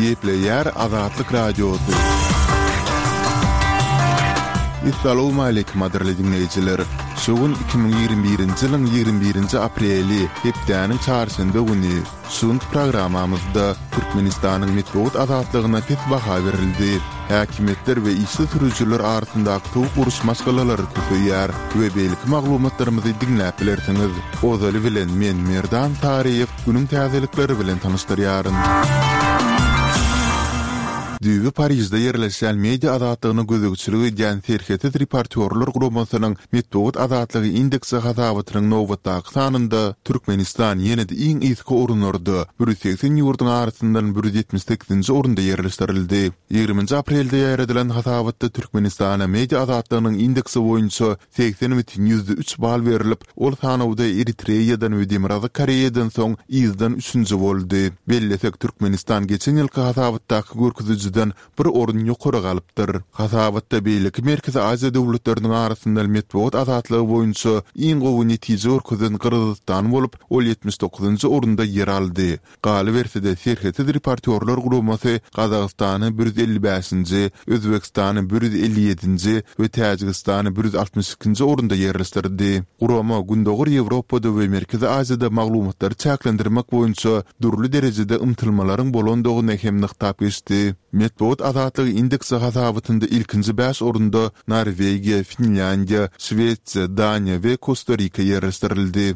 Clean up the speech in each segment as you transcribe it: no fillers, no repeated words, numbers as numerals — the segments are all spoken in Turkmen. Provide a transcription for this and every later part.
Gepleýär Azatlyk Radiosy. Essalawmaleýkim gadyrly diňleýjiler! Şu gün 2021-nji ýylyň 21-nji apreli, hepdäniň çarşenbe güni. Şu günki programmamyzda Türkmenistanyň metbugat azatlygyna pes baha berildi. Häkimiýetler we işsiz sürüjiler arasyndaky sowuk uruş maşgalalary köseýär we beýleki maglumatlarymyzy diňläp bilersiňiz. Ozaly bilen men Merdan Saryýew günüň täzelikleri bilen tanyşdyrýaryn. Düýbi Parižde ýerleşýän media azatlygyna gözegçilik edýän Serhetsiz reportýorlar guramasynyň Metbugat azatlygy indeksi hasabatynyň nobatdaky sanynda Türkmenistan ýene-de iň yzky orunlarda, 180 ýurduň arasyndan 178-nji orunda ýerleşdirildi. Ýigriminji aprelde ýaýradylan hasabatda Türkmenistana media azatlygynyň indeksi boýunça 80,3 bal berlip, ol sanawda Eritreýadan we Demirgazyk Koreýadan soň yzdan üçünji boldy. Bellesek, Türkmenistan geçen ýylky hasabatdaky görkezijiden bir orun ýokary galypdyr. Hasabatda beýleki Merkezi Aziýa döwletleriniň arasynda metbugat azatlygy boýunça iň gowy netije görkezen Gyrgyzystan bolup, ol 79-njy orunda ýer aldy. Galyberse-de, Serhetsiz reportýorlar guramasy Gazagystany 155-nji, Özbegistany 157-nji we Täjigistany 162-nji orunda ýerleşdirdi. Gurama Gündogar Ýewropada we Merkezi Aziýada maglumatlary çäklendirmek boýunça dürli derejede ymtylmalaryň bolandygyny hem nygtap geçdi. Metbugat azatlygy indeksi hasabatynda ilkinji bäş orunda Norwegiýa, Finlýandiýa, Şwesiýa, Daniýa we Kosta-Rika ýerleşdirildi.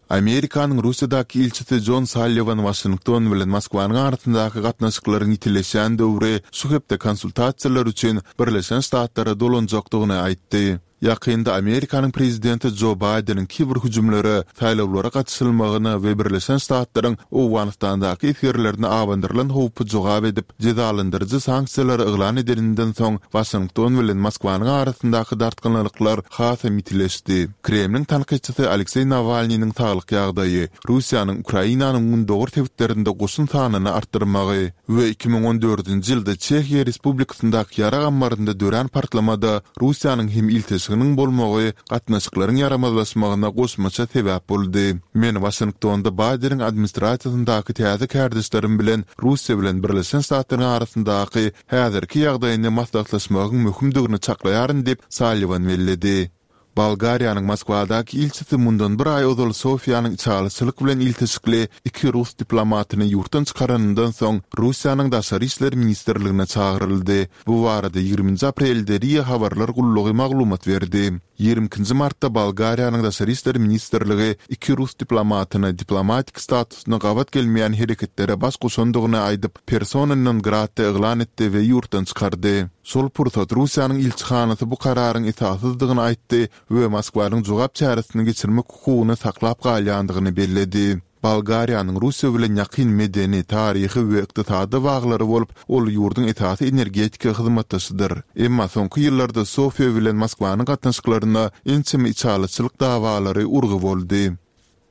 Amerikanyň Russiýadaky ilçisi Jon Salliwan Waşington bilen Moskwanyň arasyndaky gatnaşyklaryň ýitileşýän döwri şu hepde konsultasiýalar üçin Birleşen Ştatlara dolanjakdygyny aýtdy. Ýakynda Amerikanyň prezidenti Jo Baýdeniň kiber hüjümlere, saýlawlara gatyşylmagyna we Birleşen Ştatlaryň Owganystandaky esgerlerine abandyrylan howpa jogap edip, jezalandyryjy sanksiýalary yglan edeninden soň, Waşington bilen Moskwanyň arasyndaky dartgynlylyklar hasam ýitileşdi. Kremliň tankytçysy Alekseý Nawalnynyň saglyk ýagdaýy, Russiýanyň Ukrainanyň gündogar sebitlerinde goşun sanyny artdyrmagy we 2014-nji ýylda Çehiýa Respublikasyndaky ýarag ammarynda dörän partlamada Russiýanyň hem ilteşiginiň bolmagy gatnaşyklaryň ýaramazlaşmagyna goşmaça sebäp boldy. Men Waşingtonda Baýdeniň administrasiýasyndaky täze kärdeşlerim bilen Russiýa bilen Birleşen Ştatlaryň arasyndaky häzirki ýagdaýyny maslahatlaşmagyň möhümdigini çaklaýaryn diýip, Salliwan belledi. Bolgariýanyň Moskwadaky ilçisi mundan bir aý ozal Sofiýanyň içalyçylyk bilen ilteşikli iki rus diplomatyny ýurtdan çykaranyndan soň Russiýanyň Daşary işler ministrligine çagyryldy. Bu barada ýigriminji aprelde ria habarlar gullugy maglumat berdi. Ýigrimi ikinji martda Bolgariýanyň Daşary işler ministrligi iki rus diplomatyna diplomatik statusyna gabat gelmeýän hereketlere baş goşandygyny aýdyp, persona non grata yglan etdi we ýurtdan çykardy. Şol pursat Russiýanyň ilçihanasy bu kararyň esassyzdygyny aýtdy we Moskwanyň jogap çäresini geçirmek hukugyny saklap galýandygyny belledi. Bolgariýanyň Russiýa bilen ýakyn medeni, taryhy we ykdysady baglary bolup, ol ýurduň esasy energetika hyzmatdaşydyr. Emma soňky ýyllarda Sofiýa bilen Moskwanyň gatnaşyklaryna ençeme içalyçylyk dawalary urgy boldy.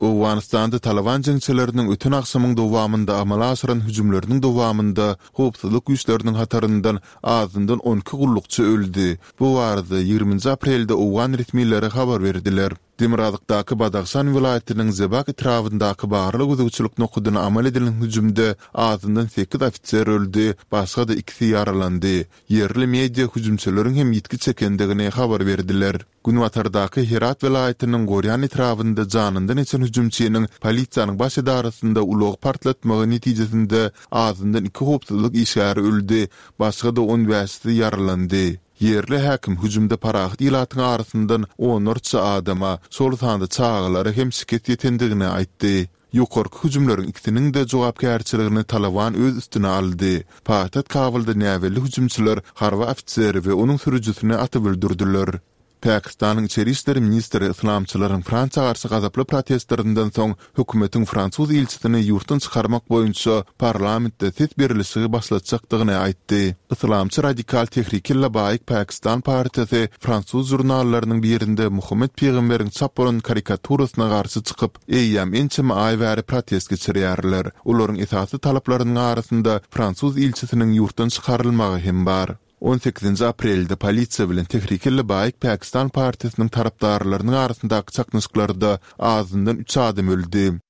Owganystanda Talyban jeňçileriniň öten agşamyň dowamynda amala aşyran hüjümleriniň dowamynda howpsuzlyk güýçleriniň hataryndan azyndan 12 gullukçy öldi. Bu barada ýigriminji aprelde owgan resmileri habar berdiler. Demirgazykdaky Badahşan welaýatynyň Zebak etrabyndaky barlag-gözegçilik nokadyna amal edilen hüjümde azyndan sekiz ofiser öldi, başga-da ikisi ýaralandy. Ýerli media hüjümçileriň hem ýitgi çekendigini habar berdiler. Günbatardaky Herat welaýatynyň Gorýan etrabynda janyndan geçen hüjümçiniň polisiýanyň baş edarasynda ulagy partlatmagy netijesinde azyndan iki howpsuzlyk işgäri öldi, başga-da on bäşisi ýaralandy. Ýerli häkim hüjümde parahat ilatyň arasyndan onlarça adama, şol sanda çagalara hem şikes ýetendigini aýtdy. Ýokarky hüjümleriň ikisiniň-de jogapkärçiligini Talyban öz üstüne aldy. Paýtagt Kabulda näbelli hüjümçiler harby ofiseri we onuň sürüjisini atyp öldürdiler. Pakistanyň içeri işler ministri yslamçylaryň Fransiýa garşy gazaply protestlerinden soň hökümetiň fransuz ilçisini ýurtdan çykarmak boýunça parlamentde ses berlişigi başlatjakdygyny aýtdy. Yslamçy radikal Tehrik-i-Labaik Pakistan partiýasy fransuz žurnallarynyň birinde Muhammet pygamberiň çap bolan karikaturasyna garşy çykyp, eýýäm ençeme aý bäri protest geçirýärler. Olaryň esasy talaplarynyň arasynda fransuz ilçisiniň ýurtdan çykarylmagy hem bar. On sekizinji aprelde polisiýa bilen Tehrik-i-Labaik Pakistan partiýasynyň tarapdarlarynyň arasyndaky çaknyşyklarda azyndan üç adam öldi.